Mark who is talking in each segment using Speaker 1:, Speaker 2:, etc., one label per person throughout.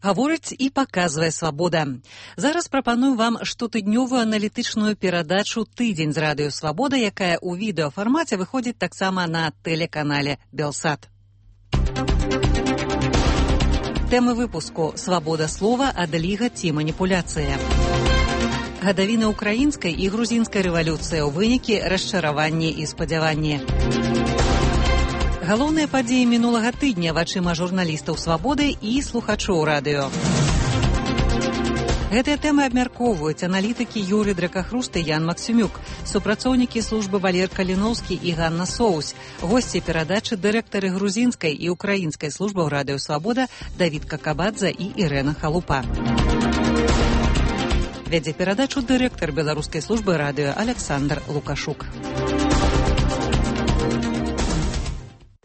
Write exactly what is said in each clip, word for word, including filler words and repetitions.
Speaker 1: Гаворыць і паказвае свабода. Зараз прапаную вам штотыднёвую аналітычную перадачу «Тыдзень з радыё Свабода», якая ў відэафармаце выходзіць таксама на тэлеканале «Белсат». Тэмы выпуску: свабода слова, адліга ці маніпуляцыя. Гадавіна украінскай і грузінскай рэвалюцыі, у вынікі расчараванні і спадзяванні. Галоўныя падзеі мінулага тыдня вачыма журналістаў «Свабоды» і слухачоў радыё. Гэтыя тэмы абмяркоўваюць аналітыкі Юрый Дракахруст і Ян Максімюк, супрацоўнікі службы Валер Каліноўскі і Ганна Соус, госці перадачы дырэктары грузінскай і украінскай службаў радыё «Свабода» Давід Какабадзе і Ірэна Халупа. Вядзе перадачу дырэктар беларускай службы радыё Александр Лукашук.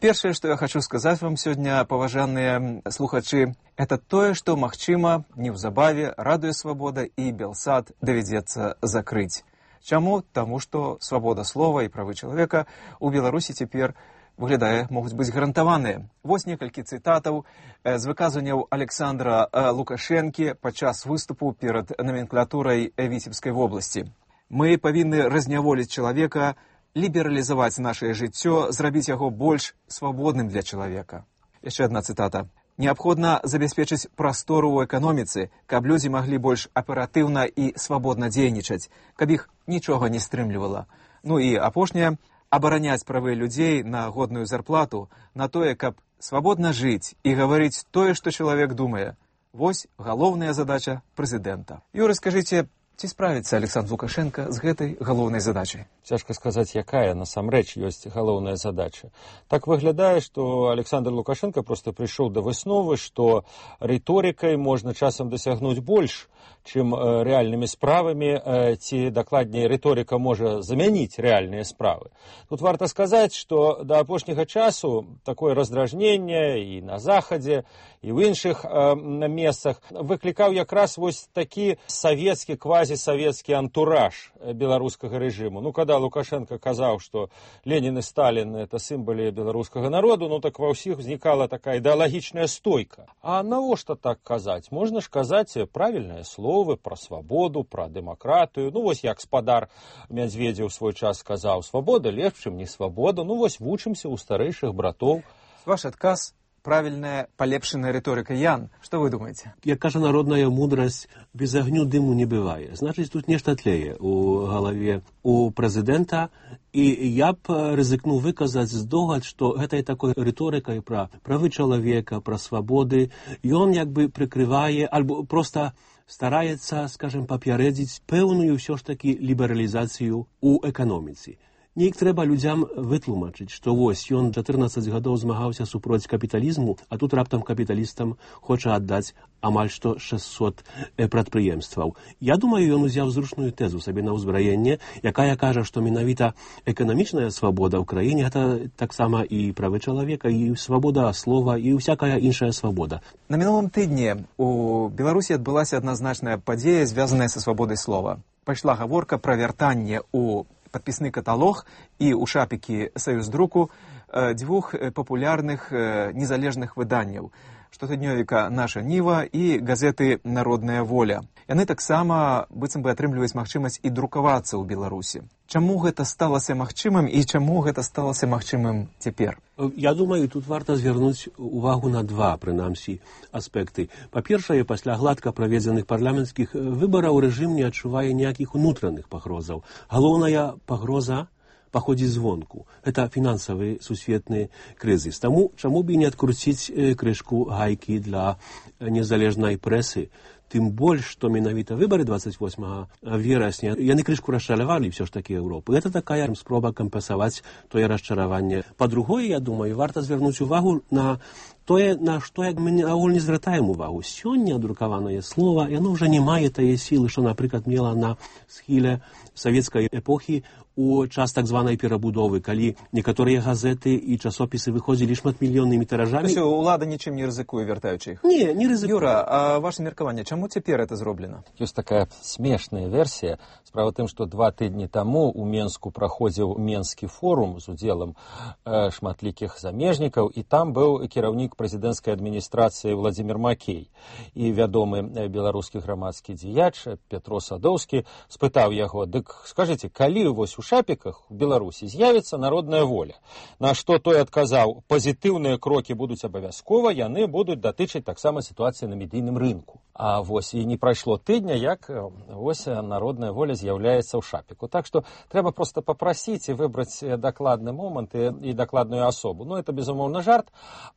Speaker 2: Першае, што я хочу сказаць вам сёння, паважаныя слухачы, это тое, што, магчыма, неўзабаве радыё «Свабода» і «Белсат» давядзецца закрыць. Чаму? Таму што свабода слова і правы чалавека ў Беларусі цяпер, выглядае, могуць быць гарантаваныя. Вось некалькі цытатаў з выказванняў Александра Лукашэнкі падчас выступу перад наменклатурай Віцебскай вобласці. Мы павінны разняволіць чалавека, лібералізаваць нашае жыццё, зрабіць яго больш свабодным для чалавека. Яшчэ адна цытата. Неабходна забяспечыць прастору ў эканоміцы, каб людзі маглі больш аператыўна і свабодна дзейнічаць, каб іх нічога не стрымлівала. Ну і апошняе, абараняць правы людзей на годную зарплату, на тое, каб свабодна жыць і гаварыць тое, што чалавек думае. Вось галоўная задача прэзідэнта. Юры, скажыце, ці справіцца Александр Лукашенко з гэтай галоўнай задачай?
Speaker 3: Цяжка сказаць, якая насамрэч ёсць галоўная задача. Так выглядае, што Александр Лукашенко проста прыйшоў да высновы, што рыторыкай можна часам дасягнуць больш, чым рэальнымі справамі, ці, дакладней, рыторыка можа замяніць рэальныя справы. Тут варта сказаць, што да апошняга часу такое раздражненне і на Захадзе, і ў іншых э, месцах выклікаў якраз вось такі савецкі, квазісавецкі антураж беларускага рэжыму. Ну, када Лукашенко казаў, што Ленін і Сталін — это сімвалы беларускага народу, ну так ва ўсіх узнікала такая ідэалагічная стойка. А навошта так казаць? Можна ж казаць правільныя словы пра свабоду, пра дэмакратыю. Ну, вось як спадар Мядзведзеў свой час сказаў: свабода лепш, чым не свабода. Ну, вось вучымся ў старэйшых братоў.
Speaker 2: Ваш адказ — правильная, полепшенная риторика. Ян, что вы думаете?
Speaker 4: Як кажа народная мудрость, без огню дыму не бывае. Значит, тут нешта тлее у голове у президента. И я б ризикнув выказать здогад, что этой такой риторикой про правы человека, про свободы, и он как бы прикрывает, альбо просто старается, скажем, папярэдзіць пэўную все ж таки лібералізацыю у эканоміцы. Неяк трэба людзям вытлумачыць, што вось ён чатырнаццаць гадоў змагаўся супроць капіталізму, а тут раптам капіталістам хоча аддаць амаль што шэсцьсот прадпрыемстваў. Я думаю, ён узяў зручную тэзу сабе на ўзбраенне, якая кажа, што менавіта эканамічная свабода ў краіне — гэта таксама і правы чалавека, і свабода слова, і ўсякая іншая свабода.
Speaker 2: На мінулым тыдні у Беларусі адбылася адназначная падзея, звязаная са свабодай слова. Пайшла гаворка пра вяртанне ў подписны каталог і ў шапікі Саюздруку дзвюх папулярных незалежных выданняў: штотыднёвіка «Наша Ніва» і газеты «Народная воля». Яны таксама быццам бы атрымліваюць магчымасць і друкавацца ў Беларусі. Чаму гэта сталася магчымым і чаму гэта сталася магчымым цяпер?
Speaker 4: Я думаю, тут варта звярнуць увагу на два, прынамсі, аспекты. Па-першае, пасля гладка праведзеных парламенцкіх выбараў рэжым не адчувае ніякіх унутраных пагрозаў. Галоўная пагроза паходзіць звонку. Это фінансавы сусветны крызіс. Таму чаму б і не адкруціць крышку гайкі для незалежнай прэсы? Тым больш, што менавіта выбары двадцать восьмага верасня яны крышку расчаравалі ўсё ж такі Еўропы. Гэта такая спроба кампенсаваць тое расчараванне. Па-другое, я думаю, варта звярнуць увагу на тое, на што як мы агуль не звяртаем увагу. Сёння друкаванае слова, яно ўжо не мае тае сілы, што, напрыклад, мела на схіле савецкай эпохі у час так званай перабудовы, калі некаторыя газеты і часопісы выходзілі шматмільённымі тыражамі.
Speaker 2: Усё, улада нічым не рызыкуе, вяртаючы іх?
Speaker 4: Не, не рызыкуе.
Speaker 2: Юра, а ваше меркаванне, чаму цяпер это зроблена?
Speaker 3: Ёсць такая смешная версія. Справа тым, што два тыдні таму у Менску праходзіў Менскі форум з удзелам э, шматлікіх замежнікаў, і там быў кіраўнік супрацоўнік прэзідэнцкай адміністрацыі Владзімір Макей. І вядомы беларускі грамадскі дзеяч Пятро Садоўскі спытаў яго: «Дык скажыце, калі вось у шапіках у Беларусі з'явіцца народная воля?» На што той адказаў: «Пазітыўныя крокі будуць абавязкова, яны будуць датычыць таксама сітуацыі на медыйным рынку». А вось і не прайшло тыдня, як вось народная воля з'яўляецца ў шапіку. Так што трэба проста папрасіць і выбраць дакладны момант і, і дакладную асобу. Ну, это, безумоўна, жарт.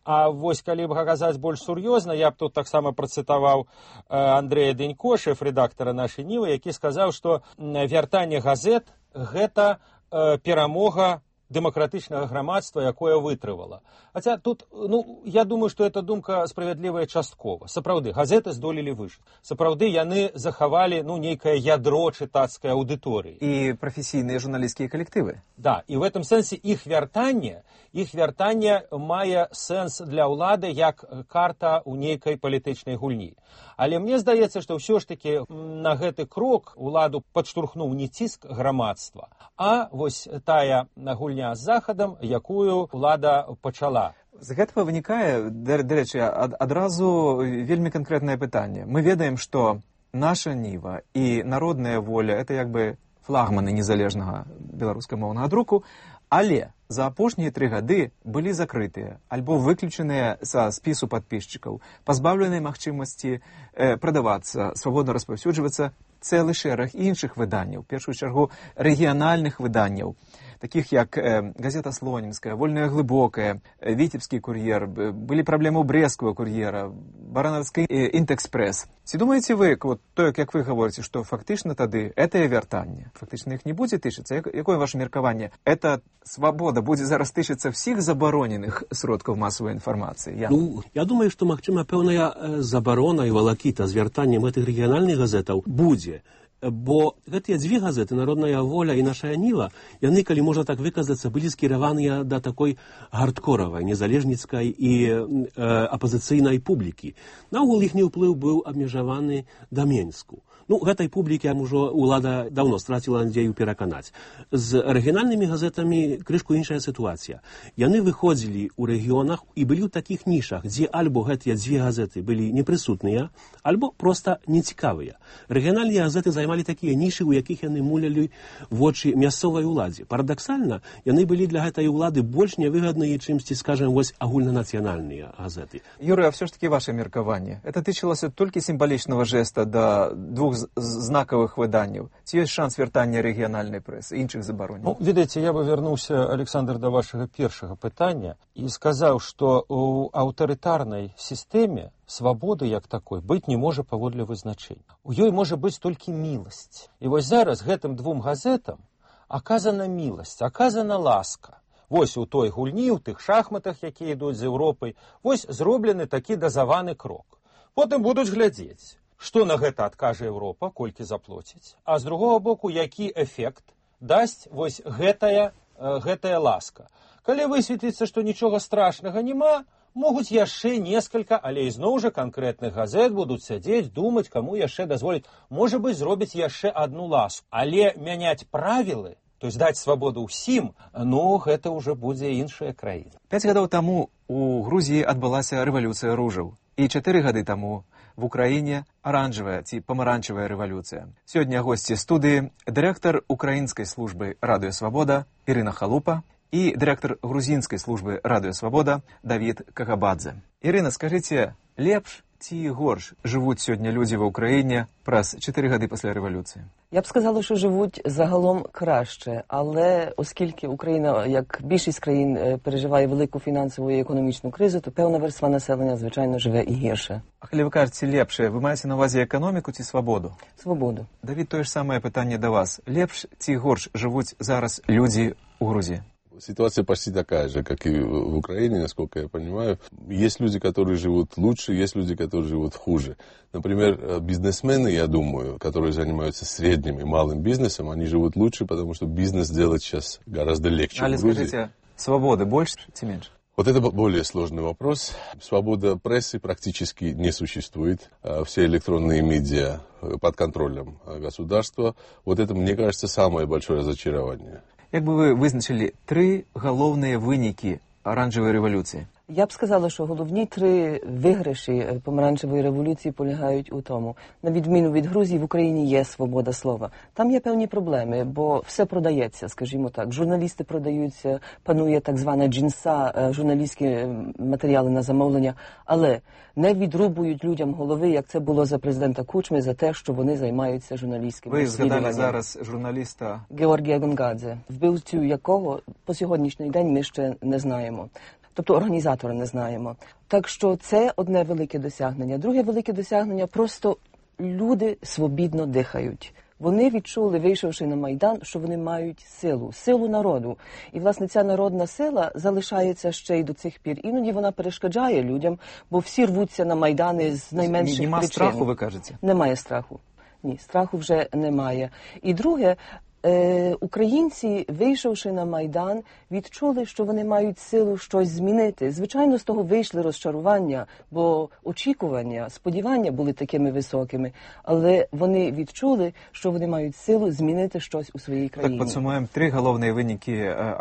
Speaker 3: А вось, калі б казаць больш сур'ёзна, я б тут таксама працытаваў Андрэя Дэнько, шэф-рэдактара нашай Нівы, які сказаў, што вяртанне газет – гэта перамога дэмакратычнага грамадства, якое вытрывала. Хаця тут, ну, я думаю, што эта думка справядлівая часткова. Сапраўды, газеты здолелі выжыць. Сапраўды, яны захавалі, ну, нейкае ядро чытацкай аўдыторыі.
Speaker 2: І прафесійныя журналісцкія калектывы.
Speaker 3: Да, і в этом сэнсе іх вяртанне, іх вяртанне мае сэнс для ўлады як карта ў нейкай палітычнай гульні. Але мне здаецца, што ўсё ж такі на гэты крок уладу падштурхнуў не ціск грамадства, а вось тая гульня з захадам, якую ўлада пачала.
Speaker 2: З гэтага вынікае, дарэчы, адразу вельмі канкрэтнае пытанне. Мы ведаем, што наша Ніва і народная воля – это як бы флагманы незалежнага беларускамоўнага друку, але за апошнія тры гады былі закрытыя альбо выключаныя са спісу падпісчыкаў, пазбаўленыя магчымасці э, прадавацца, свабодна распаўсюджвацца цэлы шэраг іншых выданняў, в першую чаргу рэгіянальных выданняў, таких як э, газета Слонімская, Вольная глыбокая, э, Віцебскі кур'ер, былі праблемы ў брэскага кур'ера, Баранаўскі э, Інтэкспрэс. Ці думаеце вы, вот то, як вы гаворыце, што фактычна тады гэтае вяртанне, фактычна іх не будзе тычыцца? Як, якое ваше меркаванне? Эта свабода будзе зараз тычыцца всіх забароненых сродкаў масавай інфармацыі? Я...
Speaker 4: Ну, я думаю, што, магчыма, пэўная забарона і валакіта з вяртаннем гэтых рэгіянальных газетаў будзе. Бо гэтыя дзве газеты, Народная воля і Наша Ніва, яны, калі можна так выказацца, былі скіраваныя да такой гардкоравай, незалежніцкай і э, апазіцыйнай публікі. Наогул іхні ўплыў быў абмежаваны да Менску. Ну, гэтай публікі ўжо ўлада даўно страціла надзею пераканаць. З рэгіянальнымі газетамі крышку іншая сітуацыя. Яны выходзілі ў рэгіёнах і былі ў такіх нішах, дзе альбо гэтыя дзве газеты былі непрысутныя, альбо проста нецікавыя. Рэгіянальныя газеты займалі такія нішы, у якіх яны мулялі вочы мясцовай уладзе. Парадаксальна, яны былі для гэтай улады больш нявыгадныя, чымсьці, скажем, вось агульнанацыянальныя газеты.
Speaker 2: Юрый, а все ж таки ваше меркаванне. Это тычылася толькі сімвалічнага жеста да двух знакавых выданняў. Ці ёсць шанс вяртання рэгіянальнай прэсы, іншых забаронаў?
Speaker 3: Ну, ведаеце, я бы вярнуўся, Александр, да вашага першага пытання і сказаў, што ў аўтарытарнай сістэме свабоды як такой быць не можа паводле вызначэння. У ёй можа быць толькі міласць. І вось зараз гэтым двум газетам аказана міласць, аказана ласка. Вось у той гульні, у тых шахматах, якія ідуць з Еўропай, вось зроблены такі дазаваны крок. Потым будуць глядзець, што на гэта адкажа Еўропа, колькі заплоціць, а з другога боку, які эфект дасць вось гэтая, гэтая ласка. Калі высветліцца, што нічога страшнага няма, могуць яшчэ некалькі, але ізноў жа канкрэтных газет будуць сядзець, думаць, каму яшчэ дазволіць. Можа быць, зробіць яшчэ адну ласку. Але мяняць правілы, то есть даць свабоду ўсім, ну, гэта ўжо будзе іншая краіна.
Speaker 2: Пяць гадоў таму у Грузіі адбылася рэвалюцыя ружаў. І чатыры гады таму в Украіне аранжавая ці памаранчавая рэвалюцыя. Сёння госці студыі дырэктар украінскай службы «Радыё Свабода» Ірына Халупа і дырэктар грузінскай службы «Радыё Свабода» Давід Кагабадзе. Ірына, скажыце, лепш ці горш жывуць сёння людзі ва ўкраіне праз чатыры гады пасля рэвалюцыі?
Speaker 5: Я б сказала, що живуть загалом краще, але оскільки Україна, як більшість країн, переживає велику фінансову і економічну кризу, то певна верства населення, звичайно, живе і гірше.
Speaker 2: А коли ви кажете лепше, ви маєте на увазі економіку чи свободу?
Speaker 5: Свободу.
Speaker 2: Давід, то ж саме питання до вас. Лепш ці горш живуть зараз люди у Грузии?
Speaker 6: Ситуация почти такая же, как и в Украине, насколько я понимаю. Есть люди, которые живут лучше, есть люди, которые живут хуже. Например, бизнесмены, я думаю, которые занимаются средним и малым бизнесом, они живут лучше, потому что бизнес делать сейчас гораздо легче.
Speaker 2: Але скажите, свободы больше или меньше?
Speaker 6: Вот это более сложный вопрос. Свобода прессы практически не существует. Все электронные медиа под контролем государства. Вот это, мне кажется, самое большое разочарование.
Speaker 2: Як бы вы вызначили три галоўныя вынікі оранжевой революции?
Speaker 5: Я б сказала, що головні три виграші помаранчевої революції полягають у тому. На відміну від Грузії, в Україні є свобода слова. Там є певні проблеми, бо все продається, скажімо так. Журналісти продаються, панує так звана джинса, журналістські матеріали на замовлення, але не відрубують людям голови, як це було за президента Кучми, за те, що вони займаються журналістськими розслідуваннями.
Speaker 2: Ви згадали зараз журналіста
Speaker 5: Георгія Гонгадзе, вбивцю якого по сьогоднішній день ми ще не знаємо. Тобто організатора не знаємо. Так що це одне велике досягнення. Друге велике досягнення – просто люди свобідно дихають. Вони відчули, вийшовши на Майдан, що вони мають силу, силу народу. І, власне, ця народна сила залишається ще й до цих пір. Іноді вона перешкоджає людям, бо всі рвуться на Майдани з найменших причин.
Speaker 2: Нема страху, ви кажете?
Speaker 5: Немає страху. Ні, страху вже немає. І друге, Е, українці, вийшовши на Майдан, відчули, що вони мають силу щось змінити. Звичайно, з того вийшли розчарування, бо очікування, сподівання були такими високими, але вони відчули, що вони мають силу змінити щось у своїй країні.
Speaker 2: Так, подсумуем, три головные выники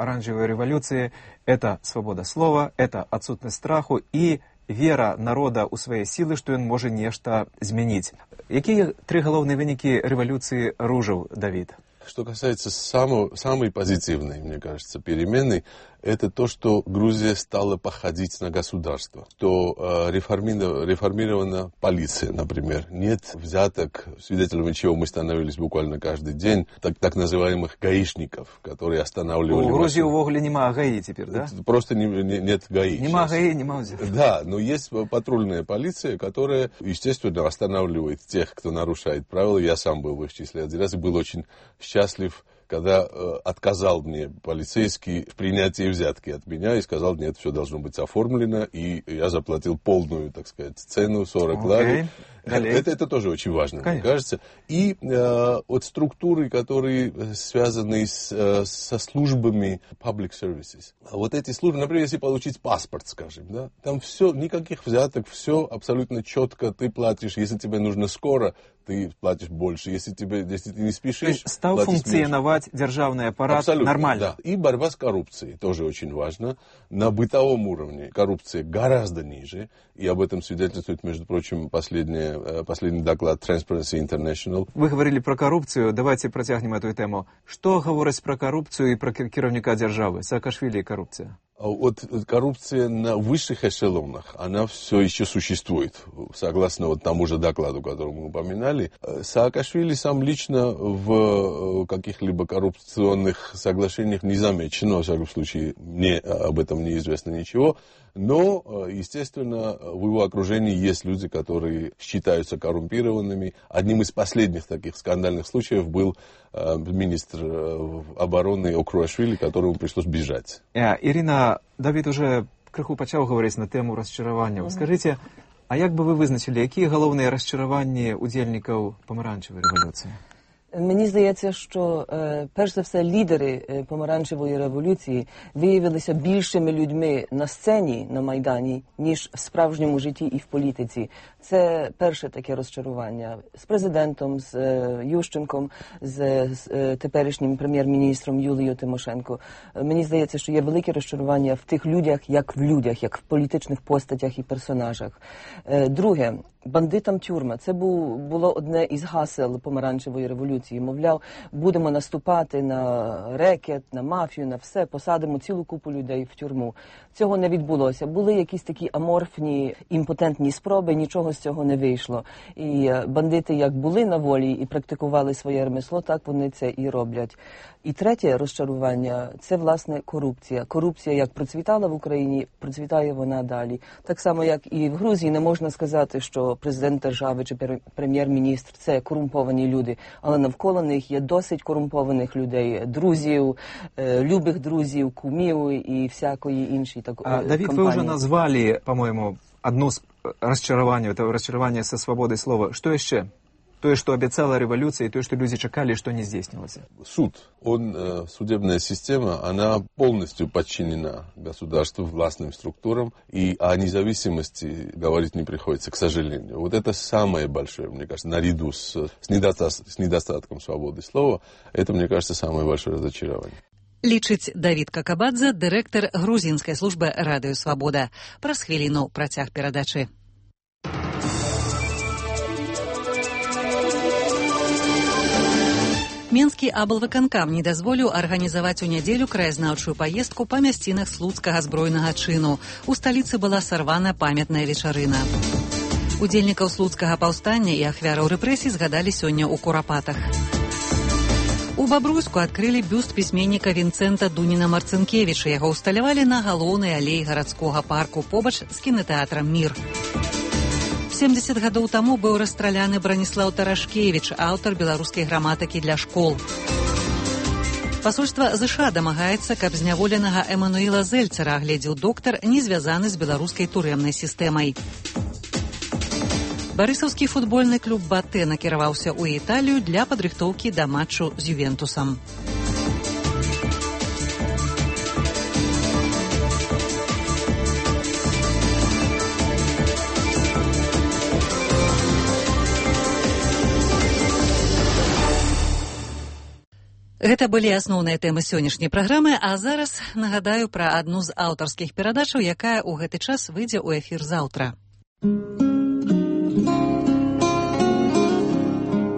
Speaker 2: оранжевой революции – это свобода слова, это отсутность страху и вера народа у своей силы, что он может нечто изменить. Какие три головные выники революции Ружев, Давид?
Speaker 6: Что касается самого, самой позитивной, мне кажется, перемены, это то, что Грузия стала походить на государство, что э, реформирована, реформирована полиция, например. Нет взяток, свидетелями чего мы становились буквально каждый день, так, так называемых гаишников, которые останавливали...
Speaker 2: У Грузии в Огле нема ГАИ теперь, да?
Speaker 6: Просто не, не, нет ГАИ.
Speaker 2: Нема ГАИ, нема взяток.
Speaker 6: Да, но есть патрульная полиция, которая, естественно, останавливает тех, кто нарушает правила. Я сам был в их числе один раз и был очень счастлив, когда э, отказал мне полицейский в принятии взятки от меня и сказал, нет, все должно быть оформлено, и я заплатил полную, так сказать, цену, сорок
Speaker 2: okay.
Speaker 6: лари. Это, это тоже очень важно, Конечно. Мне кажется. И э, от структуры, которые связаны с, э, со службами public services. Вот эти службы, например, если получить паспорт, скажем, да, там все, никаких взяток, все абсолютно четко, ты платишь, если тебе нужно скоро, ты платишь больше, если, тебе, если ты не спешишь,
Speaker 2: стал функционировать державный аппарат
Speaker 6: абсолютно,
Speaker 2: нормально.
Speaker 6: Да. И борьба с коррупцией тоже очень важна. На бытовом уровне коррупция гораздо ниже, и об этом свидетельствует, между прочим, последняя последний доклад Transparency International.
Speaker 2: Вы говорили про коррупцию, давайте протягнем эту тему. Что говорить про коррупцию и про керовника державы? Саакашвили и коррупция.
Speaker 6: Вот коррупция на высших эшелонах, она все еще существует, согласно вот тому же докладу, который мы упоминали. Саакашвили сам лично в каких-либо коррупционных соглашениях не замечен, во всяком случае, мне об этом неизвестно ничего. Но, естественно, в его окружении есть люди, которые считаются коррумпированными. Одним из последних таких скандальных случаев был министр обороны Окруашвили, которому пришлось бежать.
Speaker 2: Ирина, Давид уже криху почав говорити на тему розчарування. Mm-hmm. Скажіть, а як би ви визначили, які головні розчарування удільників помаранчевої революції?
Speaker 5: Мені здається, що, е, перш за все, лідери е, помаранчевої революції виявилися більшими людьми на сцені, на Майдані, ніж в справжньому житті і в політиці. Це перше таке розчарування. З президентом, з е, Ющенком, з, з е, теперішнім прем'єр-міністром Юлією Тимошенко. Е, мені здається, що є велике розчарування в тих людях, як в людях, як в політичних постатях і персонажах. Е, друге, бандитам тюрма. Це був, було одне із гасел помаранчевої революції. Мовляв, будемо наступати на рекет, на мафію, на все, посадимо цілу купу людей в тюрму. Цього не відбулося. Були якісь такі аморфні, імпотентні спроби, нічого з цього не вийшло. І бандити як були на волі і практикували своє ремесло, так вони це і роблять. І третє розчарування – це, власне, корупція. Корупція, як процвітала в Україні, процвітає вона далі. Так само, як і в Грузії, не можна сказати, що президент держави чи прем'єр-міністр – це корумповані люди, але навколо них є досить корумпованих людей, друзів, любих друзів, кумів і всякої іншої так,
Speaker 2: а, Давид,
Speaker 5: компанії.
Speaker 2: вы уже назвали, по-моему, одно из расчарований, это расчарование со свободой слова. Что еще? То, что обещала революция, и то, что люди чекали, что не здійснилося.
Speaker 6: Суд, он, судебная система, она полностью подчинена государству, властным структурам, и о независимости говорить не приходится, к сожалению. Вот это самое большое, мне кажется, наряду с, с, недостатком, с недостатком свободы слова, это, мне кажется, самое большое разочарование.
Speaker 1: Лічыць Давід Какабадзе, дырэктар грузінскай службы радыё «Свабода». Праз хвіліну працяг перадачы. Менскі аблвыканкам не дазволіў арганізаваць у нядзелю краязнаўчую паездку па мясцінах слуцкага збройнага чыну. У сталіцы была сарвана памятная вечарына. Удзельнікаў слуцкага паўстання і ахвяраў рэпрэсій згадалі сёння ў Курапатах. У Бабруйску адкрылі бюст пісьменніка Вінцэнта Дуніна-Марцынкевіча. Яго ўсталявалі на галоўнай алеі гарадскога парку побач з кінатэатрам «Мір». семдзесят гадоў таму быў расстраляны Браніслаў Тарашкевіч, аўтар беларускай граматыкі для школ. Пасольства ЗША дамагаецца, каб зняволенага Эмануіла Зельцера агледзеў доктар, не звязаны з беларускай турэмнай сістэмай. Барысаўскі футбольны клуб «Батэ» накіраваўся ў Італію для падрыхтоўкі да матчу з Ювентусам. Гэта былі асноўныя тэмы сённяшняй праграмы, а зараз нагадаю пра адну з аўтарскіх перадачаў, якая ў гэты час выйдзе ў эфір заўтра.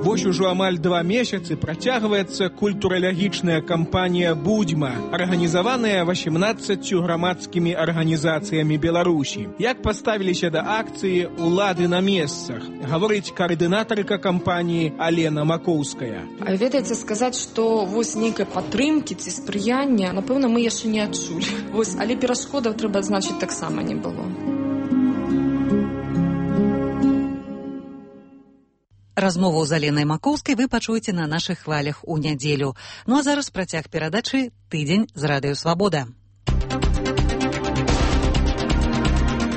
Speaker 7: Вось ужо амаль два месяцы працягваецца культуралагічная кампанія «Будзьма», арганізаваная васемнаццаццю грамадскімі арганізацыямі Беларусі. Як паставіліся да акцыі ўлады на месцах, гаворыць каардынатарка кампаніі Алена Макоўская.
Speaker 8: А ведаеце, сказаць, што вось нейкай падтрымкі ці спрыяння, напэўна, мы яшчэ не адчулі. Вось, але перашкодаў, трэба адзначыць, таксама не было.
Speaker 1: Размову з Аленай Макоўскай вы пачуеце на нашых хвалях у нядзелю. Ну а зараз працяг перадачы «Тыдзень з радыё «Свабода».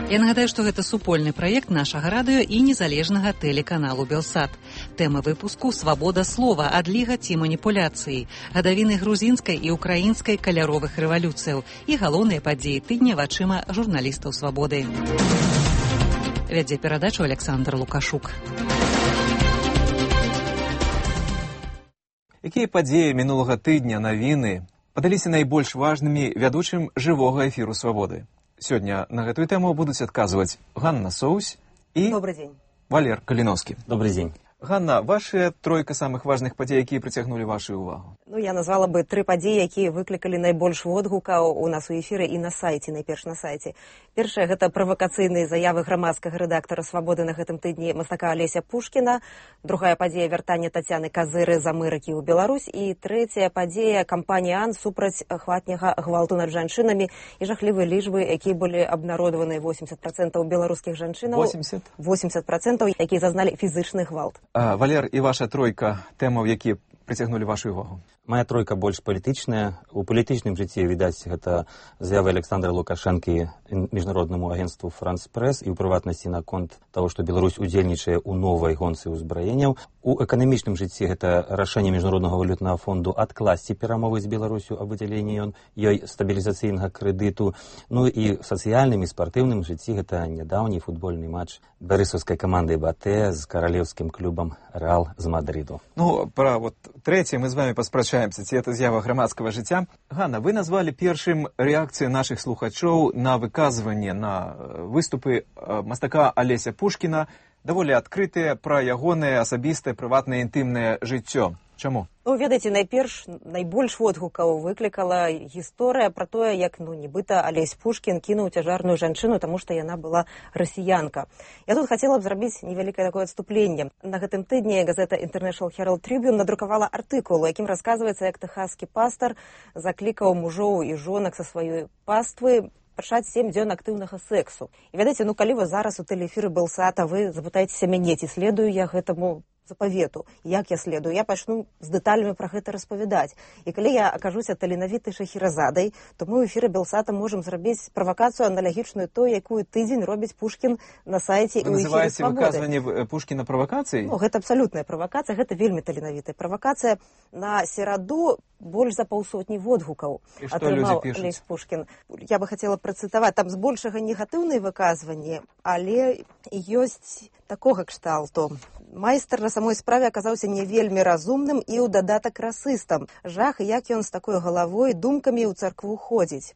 Speaker 1: Я нагадаю, што гэта супольны праект нашага радыё і незалежнага тэлеканалу «Белсат». Тэма выпуску «Свабода слова. Адліга ці маніпуляцыі», гадавіны грузінскай і украінскай каляровых рэвалюцыяў і галоўныя падзеі тыдня вачыма журналістаў «Свабоды». Вядзе перадачу Александр Лукашук.
Speaker 2: Якія падзеі мінулага тыдня, навіны, падаліся найбольш важнымі вядучым жывога эфіру «Свабоды»? Сёння на гэтую тэму будуць адказваць Ганна Соусь і Валер Каліноўскі.
Speaker 9: Добрый дзень.
Speaker 2: Ганна, ваша тройка самых важных падзей, якія прыцягнулі вашу ўвагу?
Speaker 10: Ну, я назвала бы тры падзеі, якія выклікалі найбольш водгукаў у нас у эфіры і на сайце, найперш на сайце. Першая – гэта правакацыйныя заявы грамадскага рэдактара «Свабоды» на гэтым тыдні мастака Алеся Пушкіна. Другая падзея – вяртанне Тацяны Казыры з Амерыкі ў Беларусь. І трэцяя падзея – кампанія «Ан» супраць хатняга гвалту над жанчынамі і жахлівыя лічбы, якія былі абнародаваны восемьдесят процентов беларускіх жанчынаў.
Speaker 2: восемьдесят?
Speaker 10: восемьдесят процентов, якія зазналі фізычны гвалт.
Speaker 2: А, Валер, і ваша тройка тэмаў, якія прыцягнулі вашу увагу?
Speaker 9: Моя тройка больш палітычная. У палітычным жыцці, відаць, гэта заявы Александра Лукашэнкі міжнароднаму агенству «Франс Прэс» і ў прыватнасці наконт таго, што Беларусь удзельнічае ў новай гонцы ўзбраенняў. У эканамічным жыцці гэта рашэнне міжнароднага валютнага фонду адкласці перамовы з Беларусю аб выдзяленні ёй стабілізацыйнага крэдыту. Ну і ў сацыяльным і спартыўным жыцці гэта нядаўні футбольны матч барысаўскай каманды «Батэ» з каралеўскім клубам «Рэал» з Мадрыду.
Speaker 2: Ну, пра вот трэцяе мы з вами паспрачаемся, ці это з'ява грамадскага жыцця. Ганна, вы назвалі першым рэакцыю нашых слухачоў на выказванне, на выступы мастака Алеся Пушкіна, даволі адкрытыя пра ягонае асабістае, прыватнае, інтымнае жыццё. Чаму?
Speaker 10: Ну, ведаеце, найперш, найбольш водгукаў выклікала гісторыя пра тое, як, ну, нібыта Алесь Пушкін кінуў цяжарную жанчыну, таму што яна была расіянка. Я тут хацела б зрабіць невялікае такое адступленне. На гэтым тыдні газета International Herald Tribune надрукавала артыкул, у якім расказваецца, як тэхаскі пастар заклікаў мужоў і жонак са сваёй паствы пачаць сем дзён актыўнага сексу. І ведаеце, ну, калі вы зараз у тэлеэфіры «Белсата», вы запытаецеся мяне, ці следую я гэтаму запавету, як я следую, я пачну з дэталямі пра гэта распавядаць. І калі я акажуся таленавітай Шахіразадай, то мы ў эфіры «Белсата» можам зрабіць правакацыю аналагічную той, якую тыдзень робіць Пушкін на сайце і ў эфіры «Свабоды».
Speaker 2: Вы называеце выказванне Пушкіна правакацыяй?
Speaker 10: Ну, гэта абсалютная правакацыя, гэта вельмі таленавітая правакацыя. На сераду больш за паўсотні водгукаў атрымаў Алесь Пушкін. Я бы хацела працытаваць, там збольшага негатыўныя выказванні, але ёсць такога кшталту. Майстар на самой справе аказаўся не вельмі разумным і ў дадатак расыстам. Жах, як ён з такой галавой думкамі ў царкву ходзіць.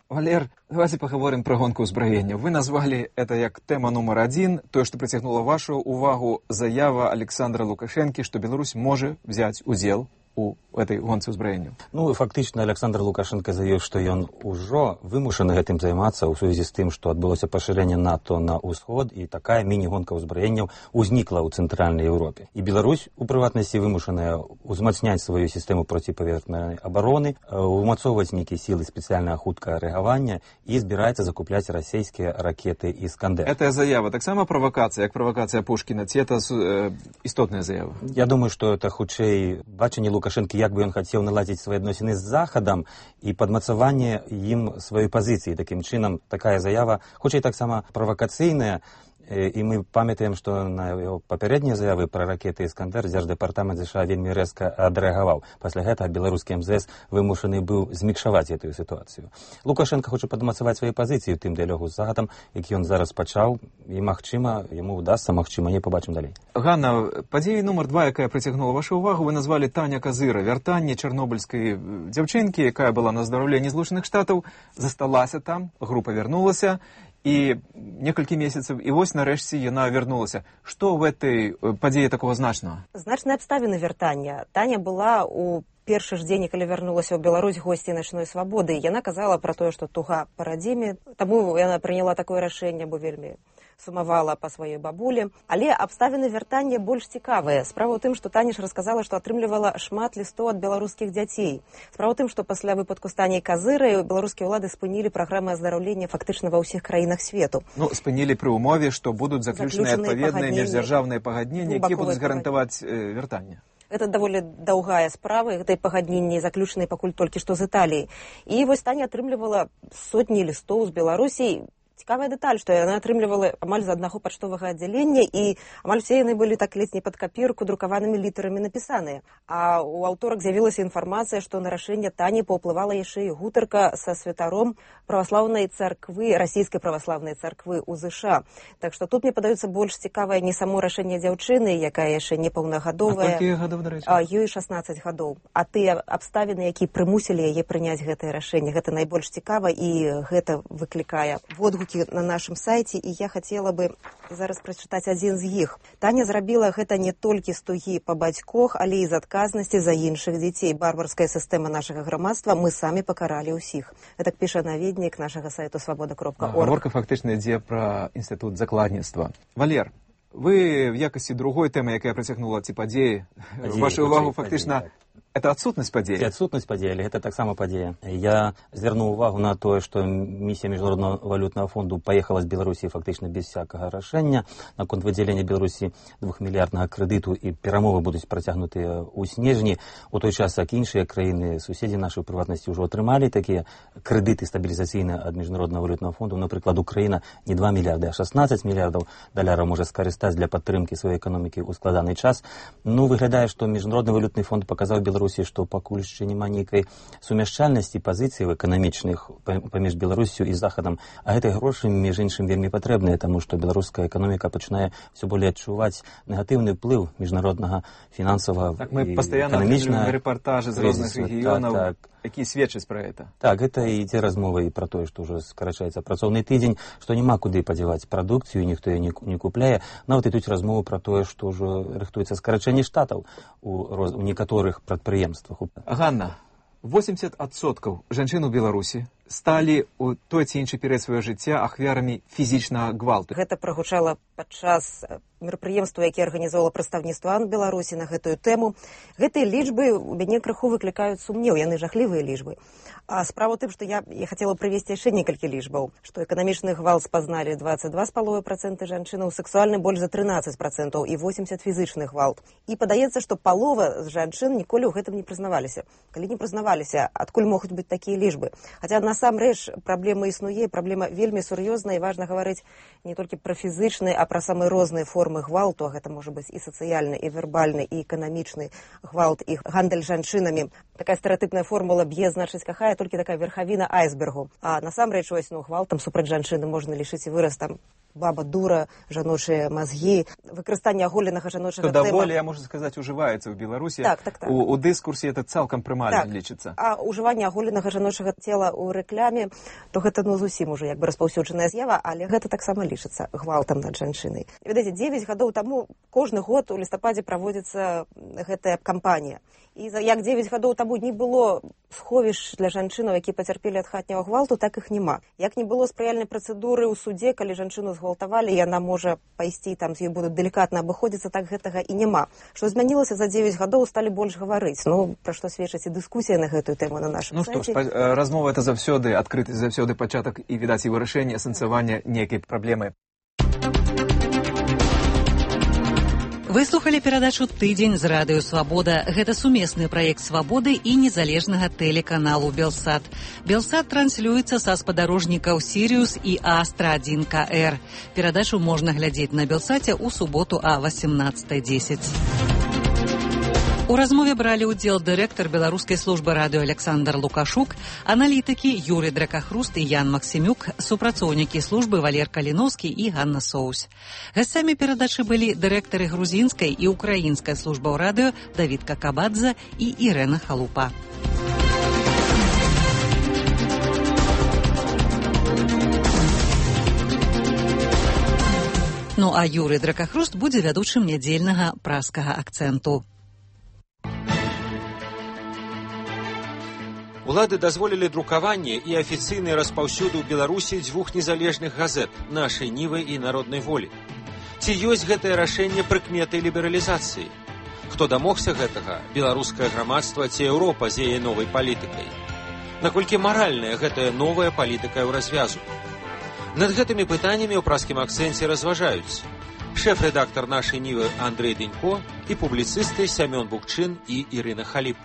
Speaker 2: Валер, давайте поговорим про гонку узброения. Вы назвали это как тема номер один, то, что притягнуло вашу увагу, заява Александра Лукашенко, что Беларусь может взять удел у этой гонцы ўзбраення.
Speaker 9: Ну, фактычна Александр Лукашенко заявіў, што ён ужо вымушаны гэтым займацца ў сувязі з тым, што адбылося пашырэнне НАТО на ўсход, і такая міні-гонка ўзбраенняў узнікла ў цэнтральнай Еўропе. І Беларусь, у прыватнасці, вымушаная узмацняць сваю сістэму проціпаветранай абароны, умацоўваць нейкія сілы спецыяльнага хуткага рэагавання і збіраецца закупляць расійскія ракеты «Іскандер».
Speaker 2: Эта заява таксама правакацыя, як правакацыя Пушкіна, ці это э, істотная заява?
Speaker 9: Я думаю, што это хутчэй бачанне Лукашенко, як бы ён хацеў наладзіць свае адносіны з Захадам і падмацаванне ім сваёй пазіцыі. Такім чынам, такая заява, хутчэй таксама правакацыйная, і мы памятаем, што на яго папярэднія заявы пра ракеты «Іскандер» Дзярждэпартамент ЗША вельмі рэзка адрэагаваў. Пасля гэтага беларускі эм зэ эс вымушаны быў змікшаваць гэтую сітуацыю. Лукашенко хоча падмацаваць свае пазіцыі ў тым дыялогу з Захадам, які ён зараз пачаў, і, магчыма, яму ўдасца, магчыма, не побачым далей.
Speaker 2: Ганна, падзея нумар два, якая прыцягнула вашу увагу, вы назвалі Таня Казыра. Вяртанне чарнобыльскай дзяўчынкі, якая была на здараўленні Злучаных Штатаў, засталася там, група вярнулася, і некалькі месяцаў, і вось нарэшце яна вярнулася. Што в этой падзеі такого значнага?
Speaker 10: Значныя абставіны вяртання. Таня была у першы ж дзень, калі вярнулася ў Беларусь госці начной свабоды. Яна казала пра тое, што туга па радзіме, таму яна прыняла такое рашэнне, бо вельмі сумавала па сваёй бабулі. Але абставіны вяртання больш цікавыя. Справа ў тым, што Таня ж расказала, што атрымлівала шмат лістоў ад беларускіх дзяцей. Справа ў тым, што пасля выпадку з Таняй Казырай беларускія ўлады спынілі праграмы аздараўлення фактычна ва ўсіх краінах свету.
Speaker 2: Ну, спынілі пры ўмове, што будуць заключаныя адпаведныя міждзяржаўныя пагадненні, якія будуць гарантаваць э, вяртанне.
Speaker 10: Это даволі даўгая справа, і гэтай пагадненні заключаныя пакуль толькі што з Італіі. І вось Таня атрымлівала сотні лістоў з Беларусі. Цікавая дэталь, што яна атрымлівала амаль з аднаго пачтовага аддзялення, і амаль все яны былі так ледзь не пад капірку друкаванымі літарамі напісаныя. А ў аўторак з'явілася інфармацыя, што на рашэнне Тані паўплывала яшчэ і гутарка са святаром праваслаўнай царквы, расійскай праваслаўнай царквы ў ЗША. Так што тут мне падаецца больш цікавае не само рашэнне дзяўчыны, якая яшчэ не паўнагадовая.
Speaker 2: А колькі гадоў, дарэчы?
Speaker 10: Ёй шаснаццаць гадоў. А тыя абставіны, якія прымусілі яе прыняць гэтае рашэнне, гэта найбольш цікава, і гэта выклікае водгукі на нашым сайце, і я хацела бы зараз прачытаць адзін з іх. Таня зрабіла гэта не толькі з тугі па бацькох, але і з адказнасці за іншых дзяцей. Барбарская сістэма нашага грамадства, мы самі пакаралі ўсіх. Гэтак піша наведнік нашага сайту свабода кропка орг.
Speaker 2: Гаворка фактычна ідзе пра інстытут закладніцтва. Валер, вы в якасці другой тэмы, якая прыцягнула ці падзеі, вашу увагу фактычна это адсутнасць падзеі.
Speaker 9: Адсутнасць падзеі, але гэта таксама падзея. Я звярнуў увагу на тое, што місія міжнароднага валютнага фонду паехала з Беларусі фактычна без всякага рашэння наконт выдзялення Беларусі двухмільярднага крэдыту, і перамовы будуць працягнутыя ў снежні. У той час, як іншыя краіны, суседзі нашай прыватнасці ўжо атрымалі такія крэдыты стабілізацыйныя ад міжнароднага валютнага фонду. Напрыклад, Украіна не два мільярды, а шаснаццаць мільярдаў даляраў можа скарыстаць для падтрымкі сваёй эканомікі ў складаны час. Ну, выглядае, што міжнародны валютны фонд паказаў Беларусі, што пакуль яшчэ няма нейкай сумяшчальнасці пазіцый эканамічных паміж Беларусю і Захадам, а гэтыя грошы, між іншым, вельмі патрэбныя, таму што беларуская эканоміка пачынае ўсё болей адчуваць негатыўны ўплыў міжнароднага фінансавага
Speaker 2: так, мы пастаянна атрымліваем рэпартажы з розных рэгіёнаў, так, так. якія сведчаць пра гэта.
Speaker 9: Так, гэта і ідзе размова і пра тое, што ўжо скарачаецца працоўны тыдзень, што няма куды падзяваць прадукцыю, ніхто яе не купляе. Нават ідуць размовы пра тое, што ўжо рыхтуецца скарачэнне штатаў у, роз... у некаторых прадпрыемствах.
Speaker 2: Ганна, восемьдесят адсоткаў жанчын у Беларусі сталі у той ці іншы перыяд свайго жыцця ахвярамі фізічнага гвалту.
Speaker 10: Гэта прагучала падчас мерапрыемства, якія арганізоўвала прадстаўніцтва АН Беларусі на гэтую тэму. Гэтыя лічбы у мяне крыху выклікаюць сумнеў, яны жахлівыя лічбы. А справа ў тым, што я, я хацела прывесці яшчэ некалькі лічбаў, што эканамічны гвалт спазналі двадцать два з паловай працэнта жанчынаў, сексуальны больш за трынаццаць працэнтаў і восемьдесят фізічны гвалт. І падаецца, што палова з жанчын ніколі ў гэтым не прызнаваліся. Калі не прызнаваліся, адкуль могуць быць такія лічбы? Хаця насамрэч праблема існуе, праблема вельмі сур'ёзная, і важна гаварыць не толькі пра фізычны, а пра самыя розныя формы гвалту, а гэта можа быць і сацыяльны, і вербальны, і эканамічны гвалт, і гандаль жанчынамі. Такая стэрэатыпная формула б'е, значыць, кахае, толькі такая верхавіна айсбергу. А насамрэч, ось, ну, гвалтам супраць жанчыны можна лічыць і выраз там баба дура, жаночыя мазгі, выкарыстанне аголенага жаночага
Speaker 2: цела. Даволі, можна сказаць, ужываецца ў Беларусі.
Speaker 10: Так, так, так.
Speaker 2: У, у дыскурсе это цалкам прымальна
Speaker 10: так.
Speaker 2: лічыцца.
Speaker 10: А ўжыванне аголенага жаночага цела ў рэкляме, то гэта ну зусім уже як бы распаўсюджаная з'ява, але гэта таксама лічыцца гвалтам над жанчынай. Відаеце, дзевяць гадоў таму кожны год у лістападзе праводзіцца гэтая кампанія. І як дзевяць гадоў таму не было сховішч для жанчынаў, якія пацярпелі ад хатняга гвалту, так іх няма. Як не было спрыяльнай працэдуры ў судзе, калі жанчыну згвалтавалі, яна можа пайсці, там з ёй будуць далікатна абыходзіцца, так гэтага і няма. Што змянілася за дзевяць гадоў, сталі больш гаварыць. Ну, пра што сведчыць і дыскусія на гэтую тэму на нашым
Speaker 2: ну,
Speaker 10: сайце.
Speaker 2: Ну што ж, размова это заўсёды адкрыты, заўсёды пачатак і, відаць, і вырашэнне, асэнсавання нейкай праблемы.
Speaker 1: Вы слухали перадачу «Тыдзень» з радыё «Свабода». Гэта сумесны праект «Свабоды» і незалежнага тэлеканалу «Белсат». «Белсат» транслюецца са спадарожнікаў «Сіриус» і «Астра один ка эр». Перадачу можна глядзець на «Белсаце» ў суботу а восемнадцатая дзесяць. У размове бралі ўдзел дырэктар беларускай службы радыё Александр Лукашук, аналітыкі Юрый Дракахруст і Ян Максімюк, супрацоўнікі службы Валер Каліноўскі і Ганна Соусь. Гасцямі перадачы былі дырэктары грузінскай і украінскай службаў радыё Давід Какабадзе і Ірэна Халупа. Ну а Юрый Дракахруст будзе вядучым нядзельнага праскага акцэнту.
Speaker 3: Улады дазволілі друкаванне і афіцыйны распаўсюд у Беларусі дзвюх незалежных газет «Нашай Нівы» і «Народнай волі». Ці ёсць гэтае рашэнне прыкметай лібералізацыі? Хто дамогся гэтага? Беларускае грамадства ці Еўропа з яе новай палітыкай? Наколькі маральная гэтая новая палітыка ў развязу? Над гэтымі пытаннямі ў праскім акцэнце разважаюць шэф-рэдактар «Нашай Нівы» Андрэй Дэнько і публіцысты Сямён Букчын і Ірына Халіп.